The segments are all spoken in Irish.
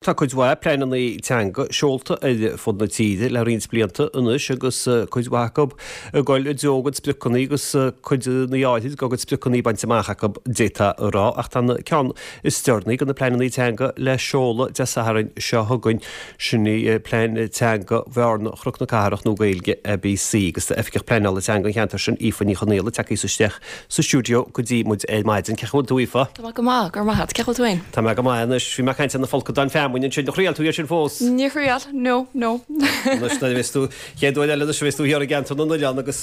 Tá cuid mhaith pleananna teanga seolta ar fud na tíre le roinnt blianta anois agus cuid mhaith acu ag dul i dtreo a gcuid spriocanna agus cuid áirid dá gcuid spriocanna bainte amach acu, d'fhéadfá a rá, ach tá an ceann is deireanaí de na pleananna teanga le seoladh Dé Sathairn seo chugainn, sin í Plean Teanga Bhearna Chnoc na Cathrach nó Gaeilge ABC agus tá Oifigeach Pleanála Teanga an cheantair sin, Aoife Ní Chonaola, tagtha isteach sa stiúideo go dtí muid ar maidin. Cén chaoi a bhfuil tú, Aoife? Tá mé go maith, go raibh maith agat. Cén chaoi a bhfuil tú féin? Tá mé go maith anois. Bhí mé ag caint ar na folcadáin feamainne ansin. Ar thriail tú iad sin fós? Níor thriail, no, no. Anois nuair a bheas tú, chéad uair eile anois a bheas tú thiar i gceantar na n-oileán agus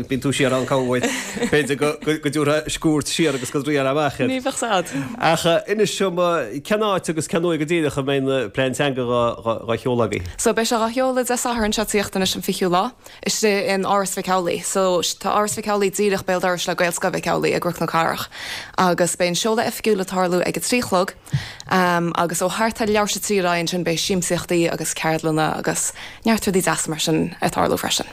bíonn tú siar ann corruair, b'fhéidir go dtabharfá cuairt siar agus go dtriailfeá amach iad. Ní bheadh sad. Ach inis dom, cén áit agus cén uair go díreach a mbeidh an plean teanga dhá sheoladh agaibh? So beidh sé dhá sheoladh Dé Sathairn seo ag tíocht anois an 20ú lá. istigh in Áras Mhic Amhlaigh. So, tá Áras Mhic Amhlaigh díreach béal dorais le Gaelscoil Mhic Amhlaigh i gCnoc na Cathrach. Agus beidh an seoladh oifigiúil ag tarlú ag a 3 a chlog agus ó thart ar leathuair tar éis a 3 ar aghaidh ansin beidh siamsaíochtaí agus ceardlanna agus neart rudaí deasa mar sin ag tarlú freisin.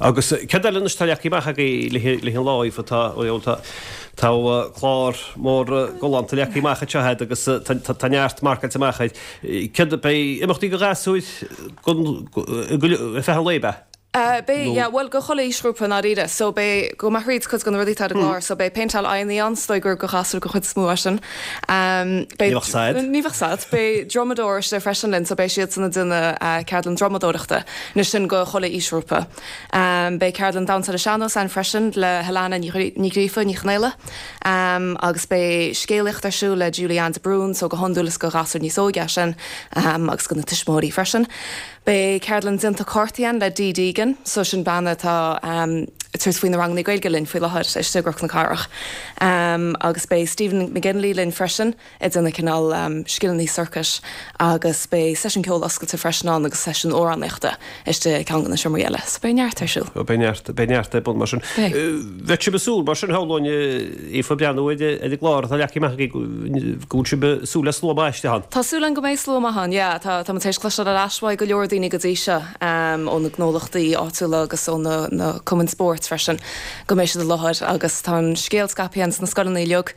Agus céard eile anois atá leagtha amach agaibh le an lá, Aoife? Tá, tá, tá clár mór galánta leagtha amach anseo agat agus tá neart marcáilte amach air. Céard, beidh imeachtaí do ghasúir ar feadh an lae, ab ea? Beidh, yeah, bhuel do chuile aoisghrúpa i ndáiríre. So beidh, gabhfaidh mé thríd cuid de na rudaí atá ar an gclár. So beidh péinteáil aghaidheanna ann, is dóigh gur do ghasúir den chuid is mó é sin. Beidh. Ní bheadh sad. Ní bheadh sad. Beidh drumadóir istigh freisin linn, so beidh siadsan ag déanamh ceardlann drumadóireachta. Anois sin do chuile aoisghrúpa. Beidh ceardlann damhsa ar an sean-nós ann freisin le Helena Ní Ghríofa, Ní Chonaola. Agus beidh scéalaíocht ar siúl le Julie Ann de Brún, so go hiondúil is do ghasúir níos óige é sin, agus do na tuismitheoirí freisin. Beidh ceardlann déanta cártaí ann le Dee Deegan, so sin bean atá ag tabhairt faoi na ranganna Gaeilge linn faoi láthair istigh i gCnoc na Cathrach. Agus beidh Stephen McGinley linn freisin ag déanamh cineál scileanna sorcais agus beidh seisiún ceoil oscailte freisin ann agus seisiún amhránaíochta istigh i gceann de na seomraí eile. So beidh neart ar siúl. Beidh neart, beidh neart ar bun mar sin. Beidh. Bheadh sibh ag súil mar sin, shamhlóinn, Aoife, breathnú ar an gclár atá leagtha amach agaibh go bhfuil sibh ag súil le slua maith istigh ann. Tá súil againn go mbeidh slua maith ann, yeah. Tá, tá muid tar éis cloisteáil ar ais uaidh go leor daoine go dtí seo, ó na gnólachtaí áitiúla agus ó na, na cumainn spóirt freisin, go mbeidh siad i láthair agus tá an scéal scaipthe ins na scoileanna uilig.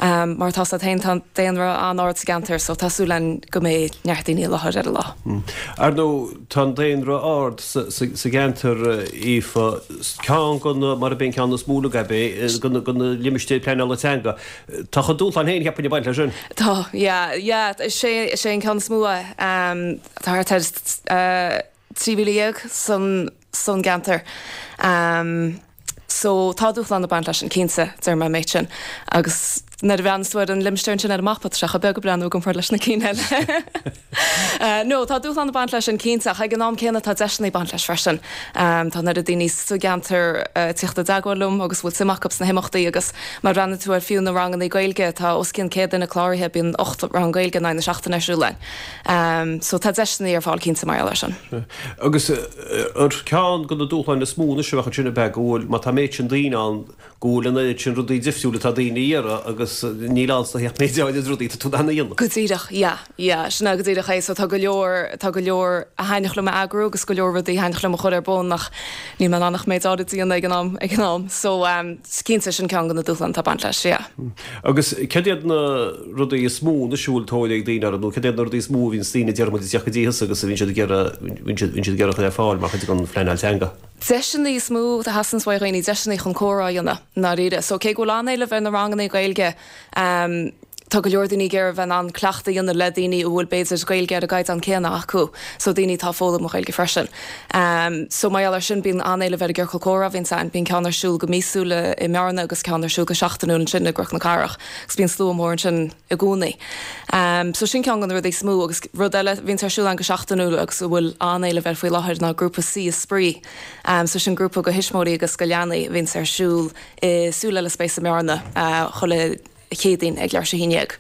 Mar atá 's agat féin, tá daonra an-ard sa gceantar so tá súil againn go mbeidh neart daoine i láthair ar an lá. Ar ndóigh, tá an daonra ard sa gceantar, Aoife. Ceann de na, mar a b'é an ceann is mó uilig ab é, de na limistéir pleanála teanga. Tá a chuid dúshlán féin, cheapfainn, ag baint leis sin. Tá, yeah, yeah. Is é, is é an ceann is mó é. Tá thart ar 13,000 san, san gceantar. So tá dúshlán ag baint leis sin, cinnte, déarfaidh mé an méid sin. Agus nuair a bhreathnaíos tú ar an limistéar ansin ar an mapa, tá sé chomh beag ag breathnú i gcomparáid leis na cinn eile. No, tá dúshlán ag baint leis sin, cinnte, ach ag an am céanna tá deiseanna ag baint leis freisin. Tá an oiread daoine sa gceantar ag tíocht i dteagmháil liom agus a bhfuil suim acu sna himeachtaí agus má bhreathnaíonn tú ar fiú na ranganna Gaeilge, tá os cionn 100 duine cláraithe, bíonn 8 rang Gaeilge in aghaidh na seachtaine ar siúl againn. So tá deiseanna ar fáil cinnte mar gheall air sin. Agus ar ceann de na dúshláin is mó anois a bheadh ansin ab ea go bhfuil, má tá an méid sin daoine ann, go bhfuil an oiread sin rudaí difriúil atá daoine a iarraidh agus níl ann ach méid áirid rudaí atá tú in ann a dhéanamh. Go díreach, yeah, yeah, sin é go díreach é. So tá go leor, tá go leor a thaitneodh liom a eagrú agus go leor rudaí a thaitneodh liom a chur ar bun ach níl mé in ann ach méid áirid a dhéanamh ag an am, ag an am. So, cinnte, sin ceann de na dúshláin atá ag baint leis, yeah. Agus céard iad na rudaí is mó anois a bhfuil tóir ag daoine orthu nó céard iad na rudaí is mó a bhíonns daoine déarfaidh muid ag teacht go dtí thusa agus a bhíonn siad ag iarraidh, bhíonn siad, bhíonn siad ag iarraidh a chur ar fáil mar chuid den phleanáil teanga? Deiseanna is mó a theastaíonns uaidh dhaoine, deiseanna chun comhrá a dhéanamh, i ndáiríre. So cé go bhfuil an-éileamh ar na ranganna Gaeilge, tá go leor daoine ag iarraidh a bheith in ann cleachtadh a dhéanamh le daoine a bhfuil b'fhéidir Gaeilge ar an gcaighdeán céanna acu, so daoine atá ag foghlaim an Ghaeilge freisin. So mar gheall air sin bíonn an-éileamh ar an gciorcal comhrá a bhíonns ann. Bíonn ceann ar siúl go míosúil i mBearna agus ceann ar siúl go seachtainiúil ansin i gCnoc na Cathrach agus bíonn slua mór ansin i gcónaí. So sin ceann de na rudaí is mó agus rud eile a bhíonns ar siúl ann go seachtainiúil agus a bhfuil an-éileamh air faoi láthair ná grúpa Suí is Spraoi. So sin grúpa do thuismitheoirí agus do leanaí a bhíonns ar siúl i Súil Eile Space i mBearna chuile Chéadaoin ag leathuair tar éis a haon dhéag.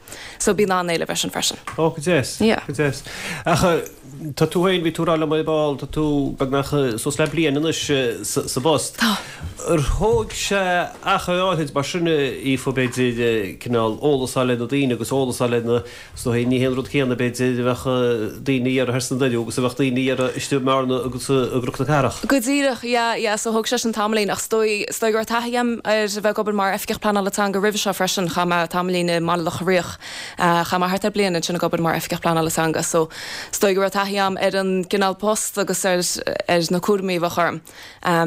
So bíonn an-éileamh air sin freisin. Ó, go deas. Yeah. Go deas. Ach. Tá tú féin, bhí tú ag rá liom ar ball, tá tú beagnach suas le bliain anois sa bpost. Tá. Ar thóg sé achar áithrid mar sin, Aoife, b'fhéidir, cineál eolas a fháil ar na daoine agus eolas a fháil ar na, is dóigh, ní hé an rud céanna, b'fhéidir, a bheadh daoine a iarraidh thoir sna Doirí agus a bheadh daoine a iarraidh istigh i mBearna agus i gCnoc na Cathrach. Go díreach, yeah, yeah, so thóg sé sin tamaillín ach is dóigh, is dóigh go raibh taithí agam ar a bheith ag obair mar Oifigeach Pleanála Teanga roimhe seo freisin, chaith mé tamaillín i mBaile Locha Riach. Chaith mé thart ar bliain ansin ag obair mar Oifigeach Pleanála Teanga so is dóigh go raibh taithí agam ar an gcineál post agus ar ar na cúraimí a bheadh orm.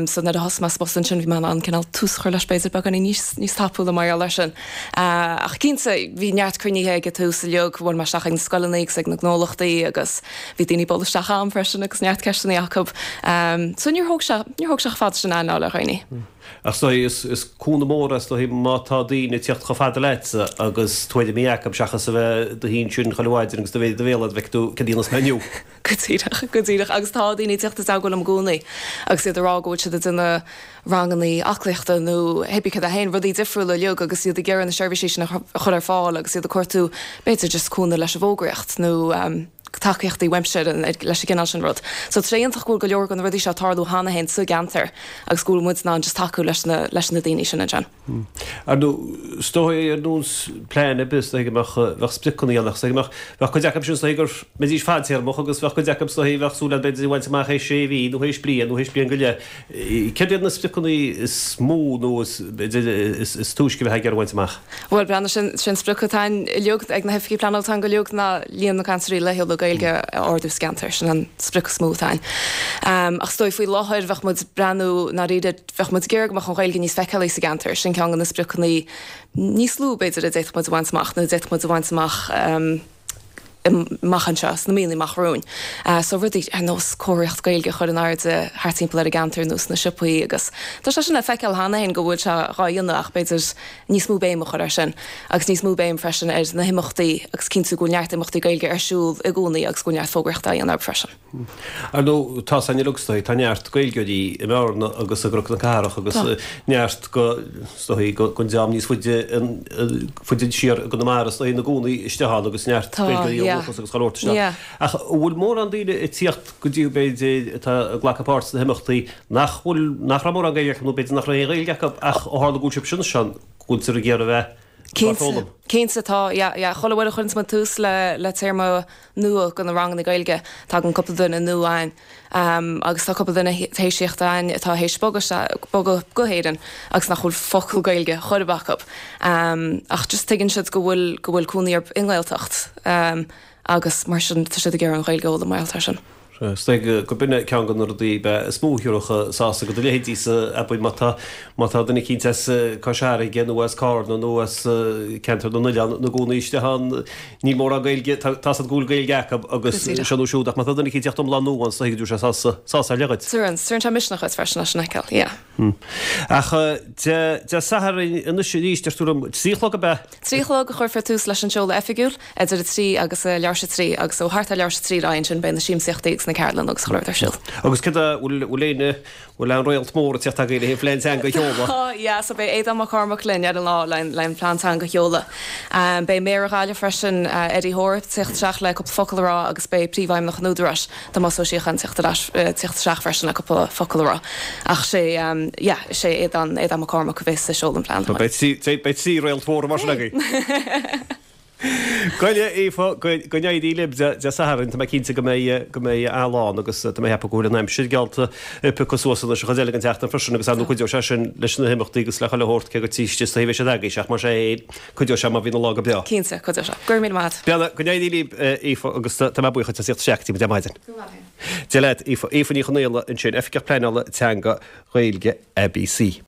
So nuair a thosaigh mé sa bpost ansin bhí mé in ann cineál tús a chur leis b'fhéidir beagáinín níos níos tapúla mar gheall air sin. Ach cinnte bhí neart cruinnithe ag an tús uilig, bhuail mé isteach ag na scoileanna agus ag na gnólachtaí agus bhí daoine ag bualadh isteach agam freisin agus neart ceisteanna acu. So níor thóg sé níor thóg sé chomh fada sin aithne a fháil ar dhaoine. Ach is dóigh, is cúnamh mór é is dóigh má tá daoine ag tíocht chomh fada leatsa agus tuairimí acu seachas a bheith i do shuí ansin chuile mhaidin agus do mhéar i do bhéal a'd an bhfeicfidh tú céard a dhéanfas mé inniu. Go díreach, go díreach. Agus tá daoine ag tíocht i dteagmháil liom i gcónaí agus iad ag rá go bhfuil siad ag déanamh rangannaí aclaíochta nó hébí céard é féin, rudaí difriúla uilig agus iad ag iarraidh na seirbhísí sin a chur ar fáil agus iad ag cuartú b'fhéidir just cúnamh leis an bhfógraíocht nó tacaíochtaí uaimse leis an gcineál sin rud. So tá sé iontach go bhfuil go leor de na rudaí seo ag tarlú cheana féin sa gceantar agus go bhfuil muid in ann just tacú leis na leis na daoine sin ansin. Ar ndóigh, is dóigh ar nós plean ar bith, is dóigh go mbeadh, bheadh spriocanna ann ach is dóigh go mbeadh, bheadh cuid acu sin is dóigh go mbeidís fadtéarmach agus bheadh cuid acu is dóigh bheadh súil agat b'fhéidir a bhaint amach théis sé mhí nó théis bliain nó théis bliain go leith. Céard iad na spriocanna is mó nó is, b'fhéidir, is túisce a bheifeá ag iarraidh a bhaint amach? Bhuel, breathnaigh, sin, sin sprioc atá againn uilig, ag na hoifigigh pleanála teanga uilig, ná líon na gcainteoirí laethúla Gaeilge a ardú sa gceantar. Sin an sprioc is mó atá againn. Ach is dóigh faoi láthair bheadh muid ag breathnú, ndáiríre, bheadh muid ag iarraidh go mbeadh an Ghaeilge níos feiceálaí sa gceantar. Sin ceann de na spriocanna níos lú, b'fhéidir, a d'fhéadfadh muid a bhaint amach, nó a d'fhéadfadh muid a bhaint amach, amach anseo, sna míonna amach romhainn. So rudaí ar nós comharthaíocht Gaeilge a chur in airde thart timpeall ar an gceantar nó sna siopaí agus tá sé sin le feiceáil cheana féin go bhfuil sé dhá dhéanamh ach b'fhéidir níos mó béim a chur air sin agus níos mó béim freisin ar na himeachtaí agus cinntiú go bhfuil neart imeachtaí Gaeilge ar siúl i gcónaí agus go bhfuil neart fógraíochta á dhéanamh orthu freisin. Ar ndóigh, tá san uilig, is dóigh, tá neart Gaeilgeoirí i mBearna agus i gCnoc na Cathrach agus neart go, is dóigh, gon dream níos faide, faide siar i gConamara, is dóigh, ina gcónaí istigh ann agus neart Gaeilgeoirí ó dhúchas agus chuile shórt isteach. Ach an bhfuil mórán daoine ag tíocht go dtí b'fhéidir atá ag glacadh páirt sna himeachtaí nach bhfuil, nach raibh mórán Gaeilge acu nó b'fhéidir nach raibh aon Ghaeilge acu ach ó tharla go bhfuil sibh sin ansin, go bhfuiltear ag iarraidh a bheith á foghlaim? Cinnte, tá, yeah, yeah. Chuile uair a chuireanns muid tús le, le téarma nua de na ranganna Gaeilge, tagann cúpla duine nua againn. Agus tá cúpla duine théis tíocht againn atá théis bogadh, bogadh go hÉirinn agus nach bhfuil focal Gaeilge chor ar bith acu. Ach just tuigeann siad go bhfuil, go bhfuil cónaí orthu i nGaeltacht agus mar sin tá siad ag iarraidh an Ghaeilge a fhoghlaim mar gheall air sin. Is dóigh gurb in é ceann de na rudaí is mó a thabharfadh sásamh do do leithéidíse, abair, má tá, má tá duine eicínt as Cois Fharraige nó as Cárna nó as Ceantar na nOileán ina gcónaí istigh ann, níl mórán Gaeilge, tá tá's agat go bhfuil Gaeilge acu agus seo nó siúd, ach má tá duine eicínt ag teacht iomlán nua ann, is dóigh go dtabharfaidh sé sásamh, sásamh ar leith dhuit. Tabharann, tabharann sé misneach dhuit freisin é sin a fheiceáil, yeah. Ach Dé Sathairn anois arís, deir tú liom, 3 a chlog ab ea? 3 a chlog a chuirfear tús leis an seoladh oifigiúil, idir 3 agus a leathuair tar éis a 3, agus ó thart ar leathuair tar éis a 3 ar aghaidh ansin beidh na siamsaíochtaí agus na ceardlanna agus chuile rud ar siúl. Agus céard é, bhfuil, bhfuil éinne, bhfuil aon réalt mór ag tíocht agaibh le haghaidh an phlean teanga a sheoladh? Tá, yeah, so beidh Aodán Mac Cormaic linn ar an lá le le an plean teanga a sheoladh. Beidh Méara Ghaillimh freisin, Eddie Hoare, ag tíocht isteach le cúpla focal a rá agus beidh Príomhfheidhmeannach an Údaráis, Tomás Ó Síocháin ag tíocht ar ais, tíocht isteach freisin le cúpla focal a rá. Ach sé, yeah, sé Aodán, Aodán Mac Cormaic a bheas ag seoladh an plean. Beidh, beidh trí réalt mhóra mar sin agaibh. Go leor, Aoife, go, go n-éirí libh Dé, Dé Sathairn, tá mé cinnte go mbeidh, go mbeidh a-lán agus tá mé ag ceapadh go bhfuil an aimsir geallta ag piocadh suas anois an chuid eile den tseachtain freisin agus ar ndóigh cuideoidh sé sin leis na himeachtaí agus le chuile shórt cé gur triste is dóigh a bheidh siad agaibhse ach mar sé Cuideoidh sé má bhíonn an lá go breá. Cinnte, cuideoidh sé. Go raibh míle maith agat. Beannacht, go n-éirí libh, Aoife, agus tá mé buíoch duit as tíocht isteach go dtí muid ar maidin. Go raibh maith agat. Dia leat, Aoife. Aoife Ní Chonaola ansin, Oifigeach Pleanála Teanga Gaeilge ABC.